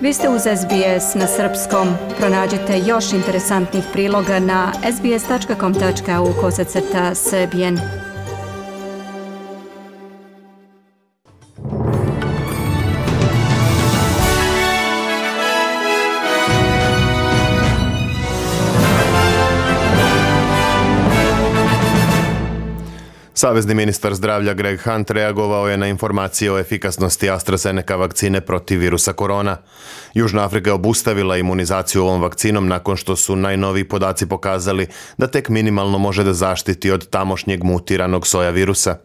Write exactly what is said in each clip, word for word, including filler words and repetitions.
Vi ste uz S B S na srpskom. Pronađite još interesantnih priloga na sbs.com.au kosacrta srbijen. Savezni ministar zdravlja Greg Hunt reagovao je na informacije o efikasnosti AstraZeneca vakcine protiv virusa korona. Južna Afrika je obustavila imunizaciju ovom vakcinom nakon što su najnoviji podaci pokazali da tek minimalno može da zaštiti od tamošnjeg mutiranog soja virusa.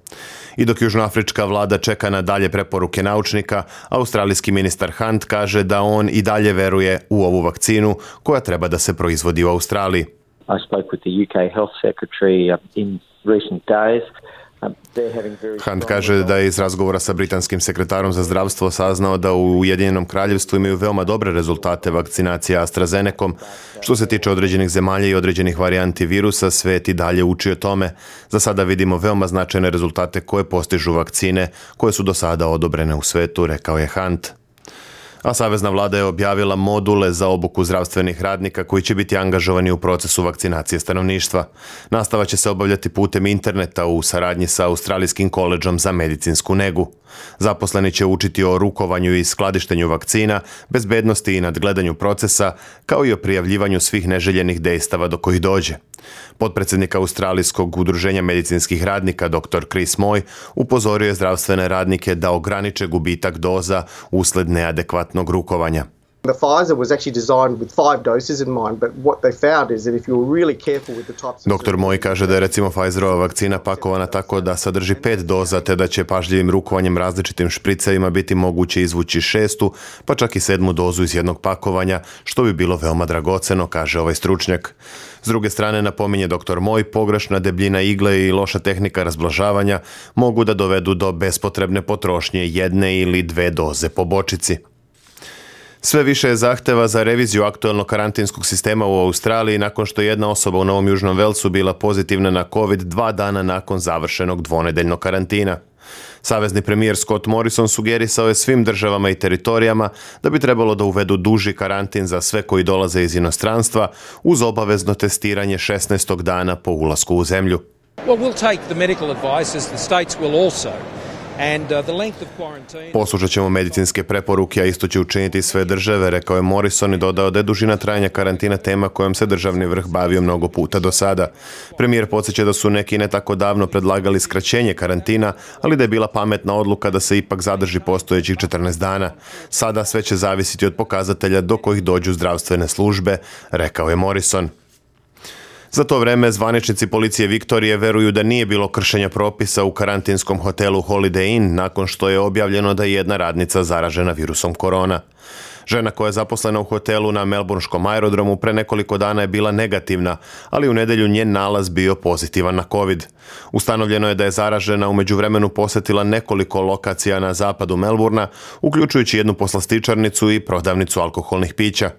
I dok južnoafrička vlada čeka na dalje preporuke naučnika, australijski ministar Hunt kaže da on i dalje veruje u ovu vakcinu koja treba da se proizvodi u Australiji. I spoke with the U K Health Secretary in recent days. Hunt kaže da je iz razgovora sa britanskim sekretarom za zdravstvo saznao da u Ujedinjenom kraljevstvu imaju veoma dobre rezultate vakcinacije AstraZenecom. Što se tiče određenih zemalja i određenih varijanti virusa, svet i dalje uči o tome. Za sada vidimo veoma značajne rezultate koje postižu vakcine koje su do sada odobrene u svetu, rekao je Hunt. A savezna vlada je objavila module za obuku zdravstvenih radnika koji će biti angažovani u procesu vakcinacije stanovništva. Nastava će se obavljati putem interneta u saradnji sa Australijskim koledžom za medicinsku negu. Zaposleni će učiti o rukovanju i skladištenju vakcina, bezbednosti i nadgledanju procesa, kao i o prijavljivanju svih neželjenih dejstava do kojih dođe. Potpredsjednik Australijskog udruženja medicinskih radnika dr Chris Moy upozorio je zdravstvene radnike da ograniče gubitak doza usled neadekvatnog rukovanja. The Pfizer was actually designed with five doses in mind, but what they found is that if you're really careful with the types of... doktor Moy kaže da je recimo Pfizerova vakcina pakovana tako da sadrži pet doza, te da će pažljivim rukovanjem različitim špricevima biti moguće izvući šestu, pa čak i sedmu dozu iz jednog pakovanja, što bi bilo veoma dragoceno, kaže ovaj stručnjak. S druge strane, napominje doktor Moy, pogrešna debljina igle i loša tehnika razblažavanja mogu da dovedu do bespotrebne potrošnje jedne ili dve doze po bočici. Sve više je zahteva za reviziju aktuelnog karantinskog sistema u Australiji nakon što je jedna osoba u Novom Južnom Velsu bila pozitivna na COVID dva dana nakon završenog dvonedeljnog karantina. Savezni premijer Scott Morrison sugerisao je svim državama i teritorijama da bi trebalo da uvedu duži karantin za sve koji dolaze iz inostranstva uz obavezno testiranje šesnaestog dana po ulasku u zemlju. Well, we'll take the medical advice as the states will also. Poslušat ćemo medicinske preporuke, a isto će učiniti sve države, rekao je Morrison i dodao da je dužina trajanja karantina tema kojom se državni vrh bavio mnogo puta do sada. Premijer podsjeća da su neki ne tako davno predlagali skraćenje karantina, ali da je bila pametna odluka da se ipak zadrži postojećih četrnaest dana. Sada sve će zavisiti od pokazatelja do kojih dođu zdravstvene službe, rekao je Morrison. Za to vreme zvaničnici policije Viktorije veruju da nije bilo kršenja propisa u karantinskom hotelu Holiday Inn nakon što je objavljeno da je jedna radnica zaražena virusom korona. Žena koja je zaposlena u hotelu na Melbourneškom aerodromu pre nekoliko dana je bila negativna, ali u nedelju njen nalaz bio pozitivan na COVID. Ustanovljeno je da je zaražena u međuvremenu posetila nekoliko lokacija na zapadu Melbourna, uključujući jednu poslastičarnicu i prodavnicu alkoholnih pića.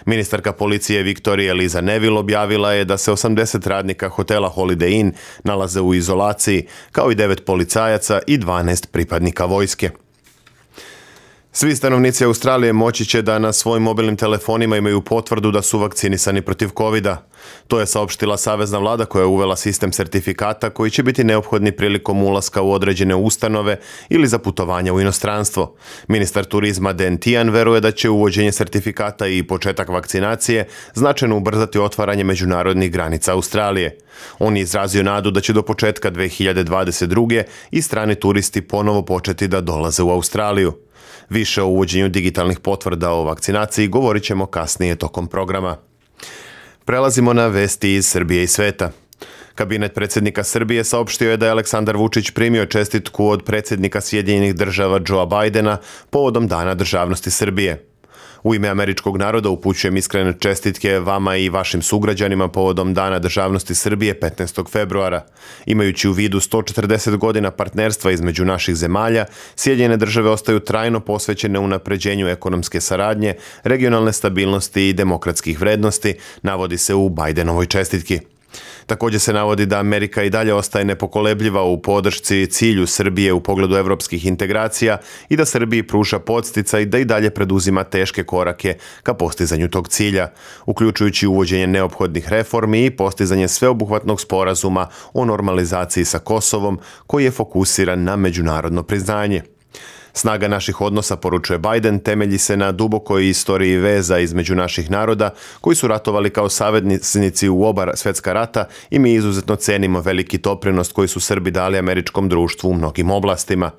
Ministarka policije Viktorije Liza Neville objavila je da se osamdeset radnika hotela Holiday Inn nalaze u izolaciji, kao i devet policajaca i dvanaest pripadnika vojske. Svi stanovnici Australije moći će da na svojim mobilnim telefonima imaju potvrdu da su vakcinisani protiv kovida. To je saopštila savezna vlada koja je uvela sistem sertifikata koji će biti neophodni prilikom ulaska u određene ustanove ili za putovanja u inostranstvo. Ministar turizma Dan Tehan veruje da će uvođenje sertifikata i početak vakcinacije značajno ubrzati otvaranje međunarodnih granica Australije. On je izrazio nadu da će do početka dve hiljade dvadeset druge i strani turisti ponovo početi da dolaze u Australiju. Više o uvođenju digitalnih potvrda o vakcinaciji govorit ćemo kasnije tokom programa. Prelazimo na vesti iz Srbije i sveta. Kabinet predsjednika Srbije saopštio je da je Aleksandar Vučić primio čestitku od predsjednika Sjedinjenih Država Joea Bidena povodom Dana državnosti Srbije. U ime američkog naroda upućujem iskrene čestitke vama i vašim sugrađanima povodom Dana državnosti Srbije petnaestog februara. Imajući u vidu sto četrdeset godina partnerstva između naših zemalja, Sjedinjene Države ostaju trajno posvećene unapređenju ekonomske saradnje, regionalne stabilnosti i demokratskih vrednosti, navodi se u Bidenovoj čestitki. Također se navodi da Amerika i dalje ostaje nepokolebljiva u podršci cilju Srbije u pogledu evropskih integracija i da Srbiji pruža podsticaj da i dalje preduzima teške korake ka postizanju tog cilja, uključujući uvođenje neophodnih reformi i postizanje sveobuhvatnog sporazuma o normalizaciji sa Kosovom koji je fokusiran na međunarodno priznanje. Snaga naših odnosa, poručuje Biden, temelji se na dubokoj istoriji veza između naših naroda koji su ratovali kao saveznici u oba svjetska rata i mi izuzetno cenimo veliki doprinos koji su Srbi dali američkom društvu u mnogim oblastima.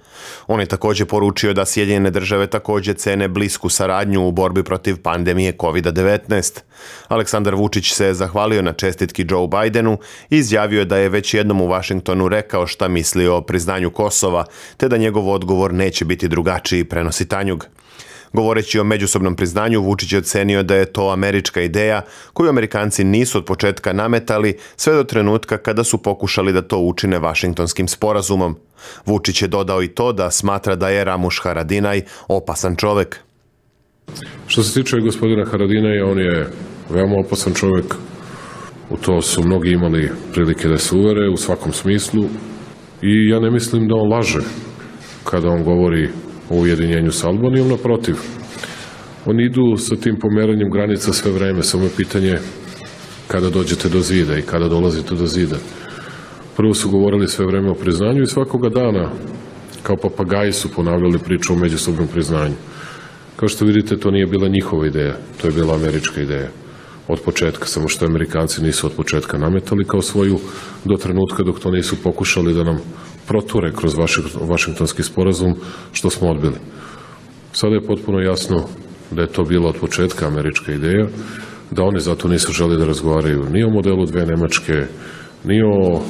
On je također poručio da Sjedinjene države također cene blisku saradnju u borbi protiv pandemije kovid devetnaest. Aleksandar Vučić se zahvalio na čestitki Joe Bidenu i izjavio da je već jednom u Washingtonu rekao šta misli o priznanju Kosova, te da njegov odgovor neće biti drugačiji, prenosi Tanjug. Govoreći o međusobnom priznanju, Vučić je ocenio da je to američka ideja koju Amerikanci nisu od početka nametali sve do trenutka kada su pokušali da to učine Vašingtonskim sporazumom. Vučić je dodao i to da smatra da je Ramuš Haradinaj opasan čovek. Što se tiče gospodina Haradinaja, on je veoma opasan čovjek. U to su mnogi imali prilike da se uvere u svakom smislu i ja ne mislim da on laže kada on govori o ujedinjenju sa Albanijom. Naprotiv, oni idu sa tim pomeranjem granica sve vreme, samo je pitanje kada dođete do zida i kada dolazite do zida. Prvo su govorili sve vreme o priznanju i svakoga dana kao papagaji su ponavljali priču o međusobnom priznanju. Kao što vidite, to nije bila njihova ideja, to je bila američka ideja od početka, samo što Amerikanci nisu od početka nametali kao svoju do trenutka dok to nisu pokušali da nam proture kroz Vašingtonski sporazum, što smo odbili. Sada je potpuno jasno da je to bila od početka američka ideja, da oni zato nisu želi da razgovaraju ni o modelu dve Nemačke, ni o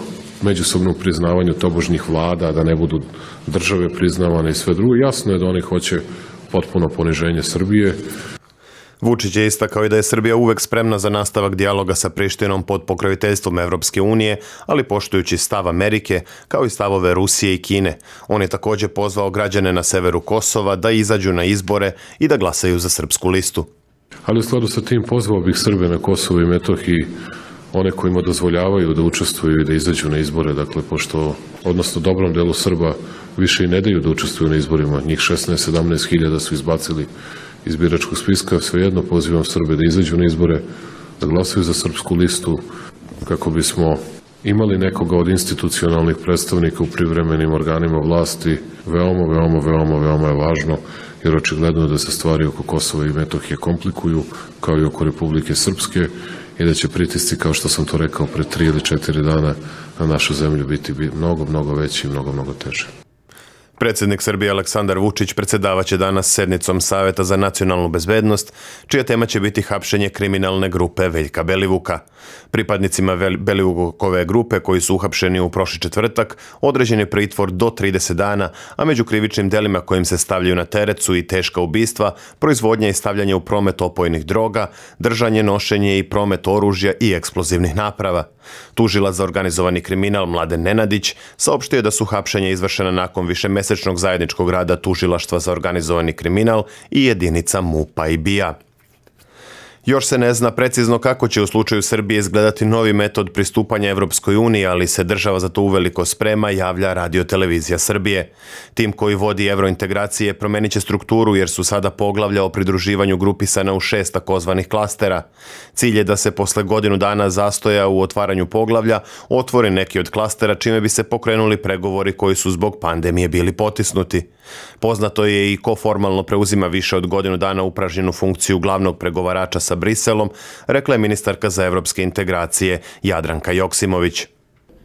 međusobnom priznavanju tobožnjih vlada, da ne budu države priznavane i sve drugo. Jasno je da oni hoće potpuno poniženje Srbije. Vučić je istakao i da je Srbija uvek spremna za nastavak dijaloga sa Prištinom pod pokroviteljstvom Evropske unije, ali poštujući stav Amerike, kao i stavove Rusije i Kine. On je također pozvao građane na severu Kosova da izađu na izbore i da glasaju za srpsku listu. Ali u skladu sa tim pozvao bih Srbe na Kosovu i Metohiji, one kojima dozvoljavaju da učestvuju i da izađu na izbore, dakle, pošto, odnosno dobrom delu Srba više i ne daju da učestvuju na izborima, njih šesnaest sedamnaest hiljada su izbacili iz biračkog spiska, svejedno pozivam Srbe da izađu na izbore, da glasaju za srpsku listu, kako bismo imali nekoga od institucionalnih predstavnika u privremenim organima vlasti. Veoma, veoma, veoma, veoma je važno, jer očigledno je da se stvari oko Kosova i Metohije komplikuju, kao i oko Republike Srpske, i da će pritisci, kao što sam to rekao pre tri ili četiri dana, na našu zemlju biti mnogo, mnogo veći i mnogo, mnogo teže. Predsjednik Srbije Aleksandar Vučić predsjedavaće danas sednicom Saveta za nacionalnu bezbednost, čija tema će biti hapšenje kriminalne grupe Veljka Belivuka. Pripadnicima Belivukove grupe koji su uhapšeni u prošli četvrtak određen je pritvor do trideset dana, a među krivičnim delima kojim se stavljaju na teret su i teška ubistva, proizvodnja i stavljanje u promet opojnih droga, držanje, nošenje i promet oružja i eksplozivnih naprava. Tužilac za organizovani kriminal Mladen Nenadić saopštio je da su hapšenja izvršena nakon višemesečnog zajedničkog rada Tužilaštva za organizovani kriminal i jedinica MUP-a i B I A. Još se ne zna precizno kako će u slučaju Srbije izgledati novi metod pristupanja Evropskoj uniji, ali se država za to uveliko sprema, javlja Radio Televizija Srbije. Tim koji vodi evrointegracije promenit će strukturu jer su sada poglavlja o pridruživanju grupisana u šest takozvanih klastera. Cilj je da se posle godinu dana zastoja u otvaranju poglavlja otvori neki od klastera čime bi se pokrenuli pregovori koji su zbog pandemije bili potisnuti. Poznato je i ko formalno preuzima više od godinu dana upražnjenu funkciju glavnog pregovarača sa Briselom, rekla je ministarka za evropske integracije Jadranka Joksimović.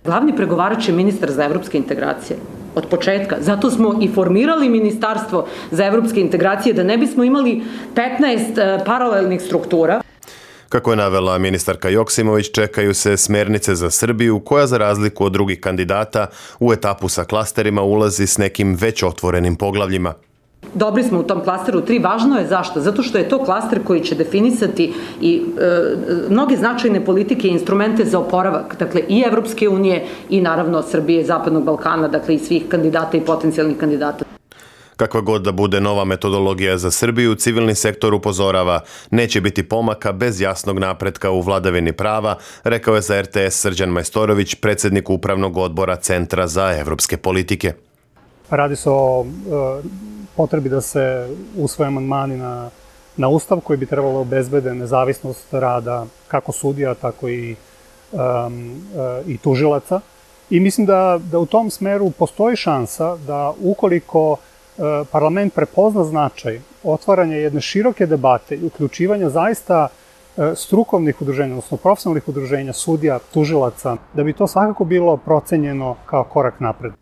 Glavni pregovarač je ministar za evropske integracije od početka. Zato smo i formirali Ministarstvo za evropske integracije, da ne bismo imali petnaest paralelnih struktura. Kako je navela ministarka Joksimović, čekaju se smjernice za Srbiju, koja za razliku od drugih kandidata u etapu sa klasterima ulazi s nekim već otvorenim poglavljima. Dobri smo u tom klasteru tri. Važno je zašto? Zato što je to klaster koji će definisati i e, mnoge značajne politike i instrumente za oporavak, dakle i Evropske unije i naravno Srbije i Zapadnog Balkana, dakle i svih kandidata i potencijalnih kandidata. Kakva god da bude nova metodologija za Srbiju, civilni sektor upozorava, neće biti pomaka bez jasnog napretka u vladavini prava, rekao je za R T S Srđan Majstorović, predsjednik upravnog odbora Centra za evropske politike. Radi se o e, potrebi da se usvoje amandmani na, na Ustav koji bi trebalo obezbede nezavisnost rada kako sudija, tako i, um, e, i tužilaca. I mislim da, da u tom smeru postoji šansa da ukoliko e, parlament prepozna značaj otvaranja jedne široke debate i uključivanja zaista e, strukovnih udruženja, odnosno profesionalnih udruženja, sudija, tužilaca, da bi to svakako bilo procenjeno kao korak napred.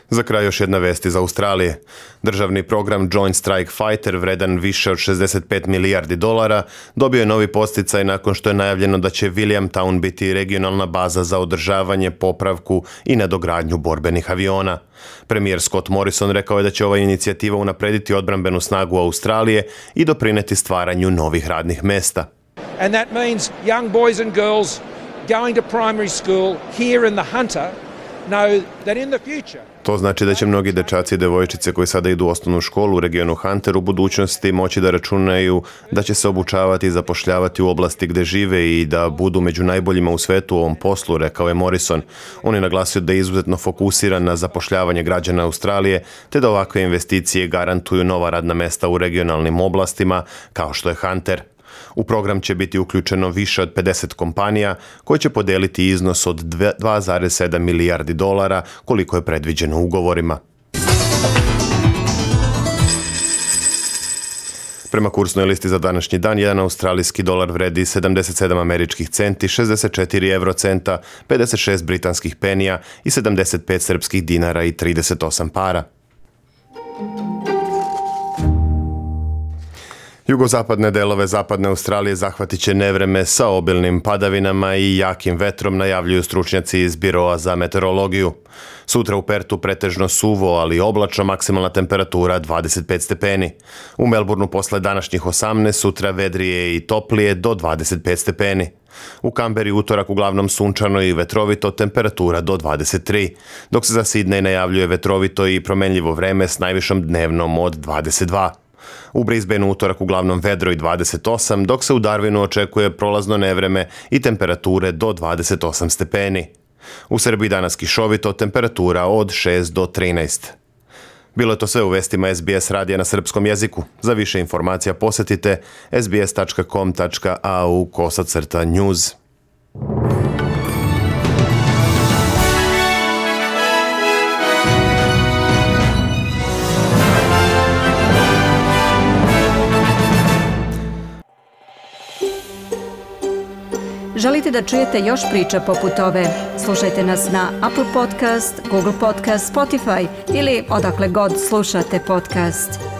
Za kraj još jedna vest iz Australije. Državni program Joint Strike Fighter, vredan više od šezdeset pet milijardi dolara, dobio je novi podsticaj nakon što je najavljeno da će Williamtown biti regionalna baza za održavanje, popravku i nadogradnju borbenih aviona. Premijer Scott Morrison rekao je da će ova inicijativa unaprediti odbrambenu snagu Australije i doprineti stvaranju novih radnih mesta. And that means young boys and girls going to primary school here in the Hunter know that in the future. To znači da će mnogi dečaci i devojčice koji sada idu u osnovnu školu u regionu Hunter u budućnosti moći da računaju da će se obučavati i zapošljavati u oblasti gde žive i da budu među najboljima u svetu u ovom poslu, rekao je Morrison. On je naglasio da je izuzetno fokusiran na zapošljavanje građana Australije, te da ovakve investicije garantuju nova radna mesta u regionalnim oblastima kao što je Hunter. U program će biti uključeno više od pedeset kompanija koje će podeliti iznos od dva zarez sedam milijardi dolara koliko je predviđeno ugovorima. Prema kursnoj listi za današnji dan, jedan australijski dolar vredi sedamdeset sedam američkih centi, šezdeset četiri evrocenta, pedeset šest britanskih penija i sedamdeset pet srpskih dinara i trideset osam para. Jugozapadne delove zapadne Australije zahvatit će nevreme sa obilnim padavinama i jakim vetrom, najavljuju stručnjaci iz Biroa za meteorologiju. Sutra u Pertu pretežno suvo, ali oblačno, maksimalna temperatura dvadeset pet stepeni. U Melbourneu posle današnjih osamnaest, sutra vedrije i toplije do dvadeset pet stepeni. U Kamberi utorak uglavnom sunčano i vetrovito, temperatura do dvadeset tri, dok se za Sidney najavljuje vetrovito i promenljivo vreme s najvišom dnevnom od dvadeset dva. U Brisbaneu utorak uglavnom vedro i dvadeset osam, dok se u Darwinu očekuje prolazno nevreme i temperature do dvadeset osam stepeni. U Srbiji danas kišovito, temperatura od šest do trinaest. Bilo je to sve u vestima S B S radija na srpskom jeziku. Za više informacija posetite s b s tačka com tačka a u kosacrta news. Želite da čujete još priča poput ove? Slušajte nas na Apple Podcast, Google Podcast, Spotify ili odakle god slušate podcast.